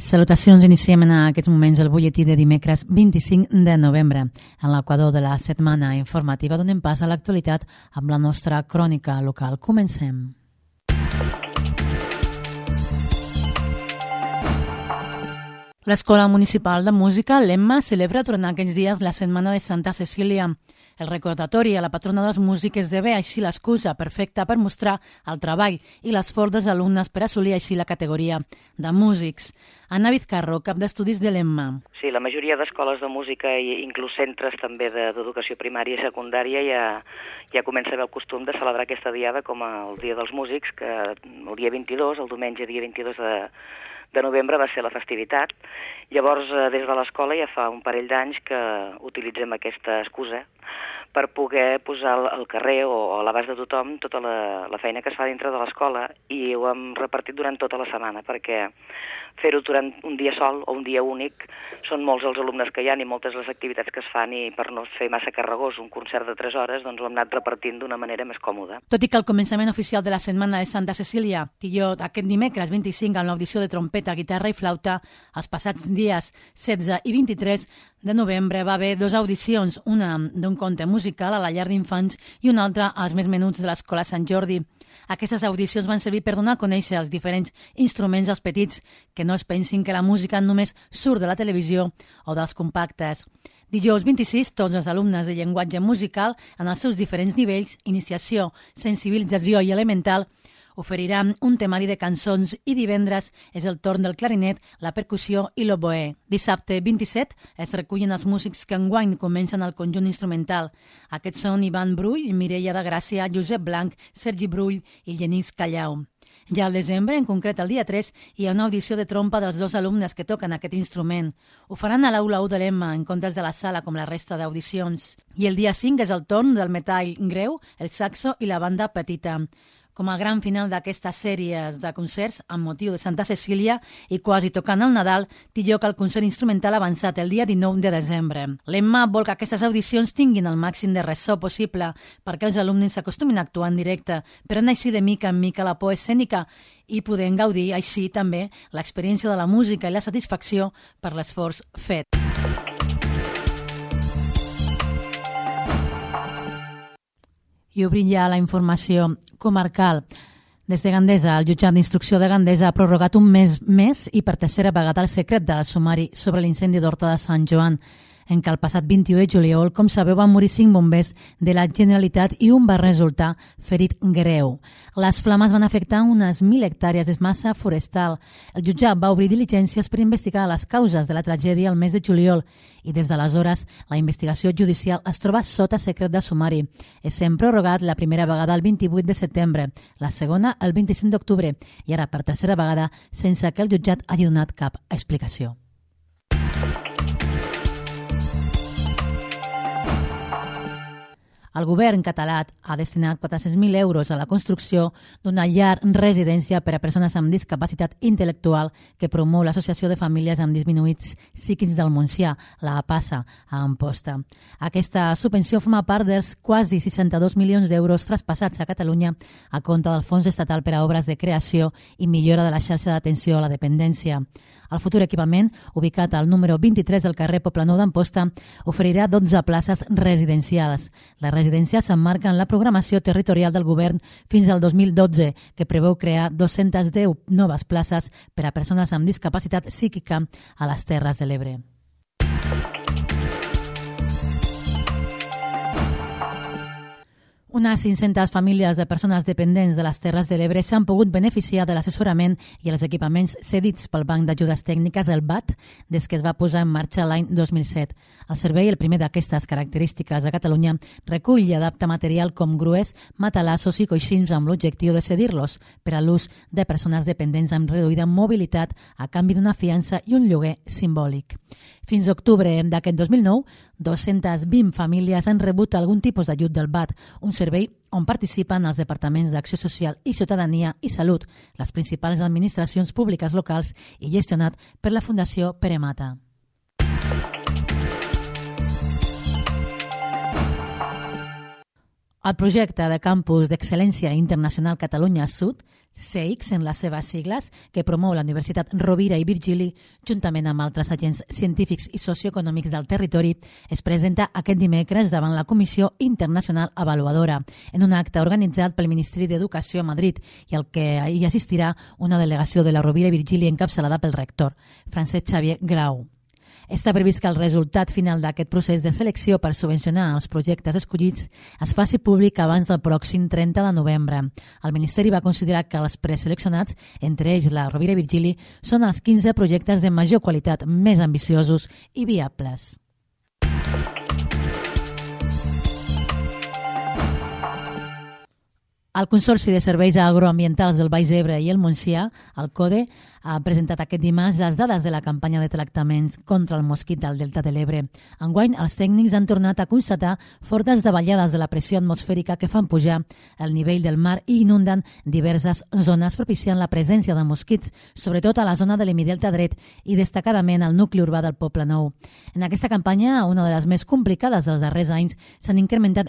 Salutacions, iniciem en aquests moments el butlletí de dimecres 25 de novembre. En l'equador de la setmana informativa donem pas a l'actualitat amb la nostra crònica local. Comencem. L'Escola Municipal de Música, l'EMMA, celebra durant aquests dies la Setmana de Santa Cecília. El recordatori a la patrona dels músics esdevé així l'excusa perfecta per mostrar el treball i l'esforç dels alumnes per assolir així la categoria de músics. Anna Vizcarro, cap d'estudis de l'EMMA. Sí, la majoria d'escoles de música i inclús centres també d'educació primària i secundària ja comença a haver el costum de celebrar aquesta diada com el Dia dels Músics, que el dia 22, el diumenge dia 22 de novembre va ser la festivitat. Llavors, des de l'escola ja fa un parell d'anys que utilitzem aquesta excusa per poder posar al carrer o a l'abast de tothom tota la feina que es fa dintre de l'escola, i ho hem repartit durant tota la setmana, perquè fer-ho durant un dia sol o un dia únic són molts els alumnes que hi ha i moltes les activitats que es fan, i per no fer massa carregós un concert de 3 hores, doncs ho hem anat repartint d'una manera més còmoda. Tot i que el començament oficial de la Setmana de Santa Cecília tilló aquest dimecres 25 amb l'audició de trompeta, guitarra i flauta, els passats dies 16 i 23 de novembre va haver 2 audicions, una d'un conte musical a la llar d'infants i una altra als més menuts de l'Escola Sant Jordi. Aquestes audicions van servir per donar a conèixer els diferents instruments als petits, que no es pensin que la música només surt de la televisió o dels compactes. Dijous 26, tots els alumnes de llenguatge musical, en els seus diferents nivells, iniciació, sensibilització i elemental, oferiran un temari de cançons, i divendres és el torn del clarinet, la percussió i l'oboè. Dissabte 27 es recullen els músics que enguany comencen el conjunt instrumental. Aquests són Ivan Brull, Mireia de Gràcia, Josep Blanc, Sergi Brull i Genís Callau. Ja al desembre, en concret el dia 3, hi ha una audició de trompa dels 2 alumnes que toquen aquest instrument. Ho faran a l'Aula 1 de l'EMMA, en comptes de la sala com la resta d'audicions. I el dia 5 és el torn del metall greu, el saxo i la banda petita. Com a gran final d'aquestes sèries de concerts amb motiu de Santa Cecília i quasi tocant el Nadal, té lloc el concert instrumental avançat el dia 19 de desembre. L'EMMA vol que aquestes audicions tinguin el màxim de ressò possible perquè els alumnes s'acostumin a actuar en directe, prenent així de mica en mica la por escènica i podent gaudir així també l'experiència de la música i la satisfacció per l'esforç fet. I obrim ja la informació comarcal. Des de Gandesa, el jutjat d'instrucció de Gandesa ha prorrogat un mes més i per tercera vegada el secret del sumari sobre l'incendi d'Horta de Sant Joan, en què el passat 21 de juliol, com sabeu, van morir 5 bombers de la Generalitat i un va resultar ferit greu. Les flames van afectar unes 1.000 hectàrees de massa forestal. El jutjat va obrir diligències per investigar les causes de la tragèdia el mes de juliol i des d'aleshores la investigació judicial es troba sota secret de sumari. Essent prorrogat la primera vegada el 28 de setembre, la segona el 25 d'octubre i ara per tercera vegada sense que el jutjat hagi donat cap explicació. El govern català ha destinat 400.000 euros a la construcció d'una llar residència per a persones amb discapacitat intel·lectual que promou l'Associació de Famílies amb Disminuïts Psíquics del Montsià, la APASA, a Amposta. Aquesta subvenció forma part dels quasi 62 milions d'euros traspassats a Catalunya a compte del Fons Estatal per a Obres de Creació i Millora de la Xarxa d'Atenció a la Dependència. El futur equipament, ubicat al número 23 del carrer Poblenou d'Amposta, oferirà 12 places residencials. La residència s'emmarca en la programació territorial del govern fins al 2012, que preveu crear 210 noves places per a persones amb discapacitat psíquica a les Terres de l'Ebre. Unes 500 famílies de persones dependents de les Terres de l'Ebre s'han pogut beneficiar de l'assessorament i els equipaments cedits pel Banc d'Ajudes Tècniques, el BAT, des que es va posar en marxa l'any 2007. El servei, el primer d'aquestes característiques a Catalunya, recull i adapta material com grues, matalassos i coixins amb l'objectiu de cedir-los per a l'ús de persones dependents amb reduïda mobilitat a canvi d'una fiança i un lloguer simbòlic. Fins a octubre d'aquest 2009, 220 famílies han rebut algun tipus d'ajut del BAT, un servei on participen els departaments d'Acció Social i Ciutadania i Salut, les principals administracions públiques locals i gestionat per la Fundació Pere Mata. El projecte de campus d'excel·lència internacional Catalunya Sud, CEIX en les seves sigles, que promou la Universitat Rovira i Virgili, juntament amb altres agents científics i socioeconòmics del territori, es presenta aquest dimecres davant la Comissió Internacional Avaluadora, en un acte organitzat pel Ministeri d'Educació a Madrid i al que hi assistirà una delegació de la Rovira i Virgili encapçalada pel rector, Francesc Xavier Grau. Està previst que el resultat final d'aquest procés de selecció per subvencionar els projectes escollits es faci públic abans del pròxim 30 de novembre. El Ministeri va considerar que els preseleccionats, entre ells la Rovira i Virgili, són els 15 projectes de major qualitat, més ambiciosos i viables. El Consorci de Serveis Agroambientals del Baix Ebre i el Montsià, el CODE, ha presentat aquest dimarts les dades de la campanya de tractaments contra el mosquit del Delta de l'Ebre. Enguany, els tècnics han tornat a constatar fortes davallades de la pressió atmosfèrica que fan pujar el nivell del mar i inunden diverses zones, propiciant la presència de mosquits, sobretot a la zona de l'Hemidelta dret i destacadament al nucli urbà del Poble Nou. En aquesta campanya, una de les més complicades dels darrers anys, s'han incrementat